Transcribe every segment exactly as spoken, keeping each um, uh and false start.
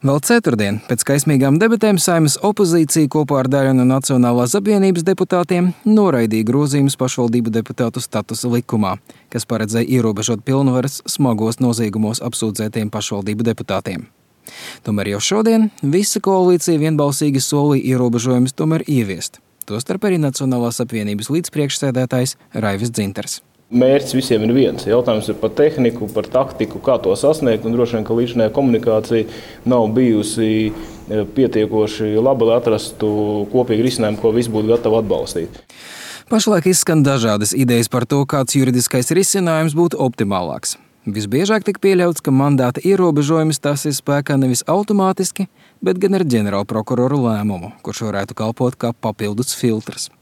Vēl ceturtdien, pēc kaismīgām debatēm, Saeimas opozīcija kopā ar daļu no Nacionālās apvienības deputātiem noraidīja grozījumus pašvaldību deputātu statusa likumā, kas paredzēja ierobežot pilnvaras smagos noziegumos apsūdzētiem pašvaldību deputātiem. Tomēr jau šodien visa koalīcija vienbalsīgi solīja ierobežojumus tomēr ieviest. Tostarp arī Nacionālās apvienības līdzpriekšsēdētājs Raivis Dzintars. Mērķis visiem ir viens. Jautājums ir par tehniku, par taktiku, kā to sasniegt. Un droši vien, ka līdzinājā komunikācija nav bijusi pietiekoši laba, lai atrastu kopīgu risinājumu, ko visi būtu gatavi atbalstīt. Pašlaik izskan dažādas idejas par to, kāds juridiskais risinājums būtu optimālāks. Visbiežāk tika pieļauts, ka mandāta ierobežojums stāsies spēkā nevis automātiski, bet gan ar ģenerālprokuroru lēmumu, kurš varētu kalpot kā papildus filtrs.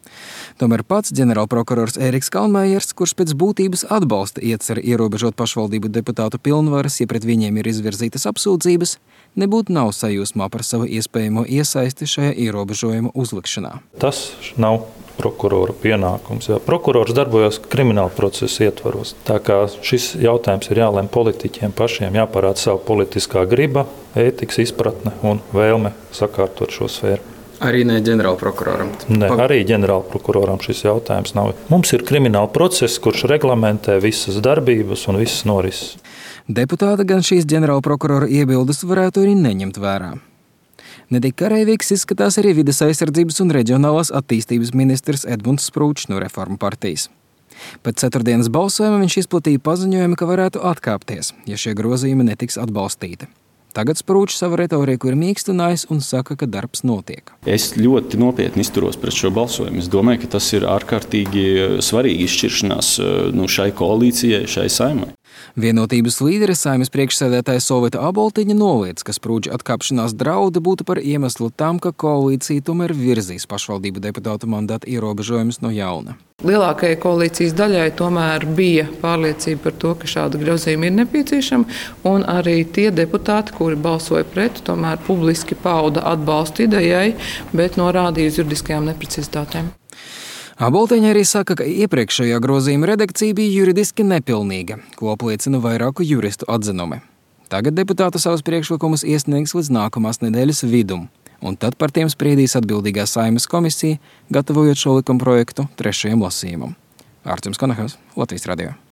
Tomēr pats ģenerālprokurors Ēriks Kalnmējers, kurš pēc būtības atbalsta ieceri ierobežot pašvaldību deputātu pilnvaras, ja pret viņiem ir izvirzītas apsūdzības, nebūtu nav sajūsmā par savu iespējamo iesaisti šajā ierobežojuma uzlikšanā. Tas nav prokurora pienākums. Jā. Prokurors darbojas krimināla procesa ietvaros. Tā kā šis jautājums ir jālem politiķiem pašiem, jāparāda savu politiskā griba, ētikas izpratne un vēlme sakārtot šo sfēru. Arī ne ģenerālprokuroram? Ne, arī ģenerālprokuroram šis jautājums nav. Mums ir krimināla process, kurš reglamentē visas darbības un visas norises. Deputāti gan šīs ģenerālprokurora iebildes varētu arī neņemt vērā. Netik kareivīgs izskatās arī vides aizsardzības un reģionālās attīstības ministrs Edmunds Sprūčs no Reformu partijas. Pēc ceturtdienas balsojuma viņš izplatīja paziņojumu, ka varētu atkāpties, ja šie grozījumi netiks atbalstīti. Tagad Sprūčs savu retoriku ir mīkstinājis un saka, ka darbs notiek. Es ļoti nopietni izturos pret šo balsojumu. Es domāju, ka tas ir ārkārtīgi svarīgi izšķiršanās nu, šai koalīcijai, šai Saeimai. Vienotības līdere Saeimas priekšsēdētāja Solvita Aboltiņa noliedz, ka Sprūča atkāpšanās draudi būtu par iemeslu tam, ka koalīcija tomēr virzīs pašvaldību deputātu mandātu ierobežojumus no jauna. Lielākajai koalīcijas daļai tomēr bija pārliecība par to, ka šāda grozījuma ir nepieciešama, un arī tie deputāti, kuri balsoja pret, tomēr publiski pauda atbalstu idejai, bet norādīja uz juridiskajām neprecizitātēm. Aboltiņa arī saka, ka iepriekšējā grozījuma redakcija bija juridiski nepilnīga, ko apliecina vairāku juristu atzinumi. Tagad deputāti savus priekšlikumus iesniegs līdz nākamās nedēļas vidum, un tad par tiem spriedīs atbildīgā Saeimas komisija, gatavojot šo likumprojektu trešajam lasījumam. Ārturs Konahas, Latvijas radio.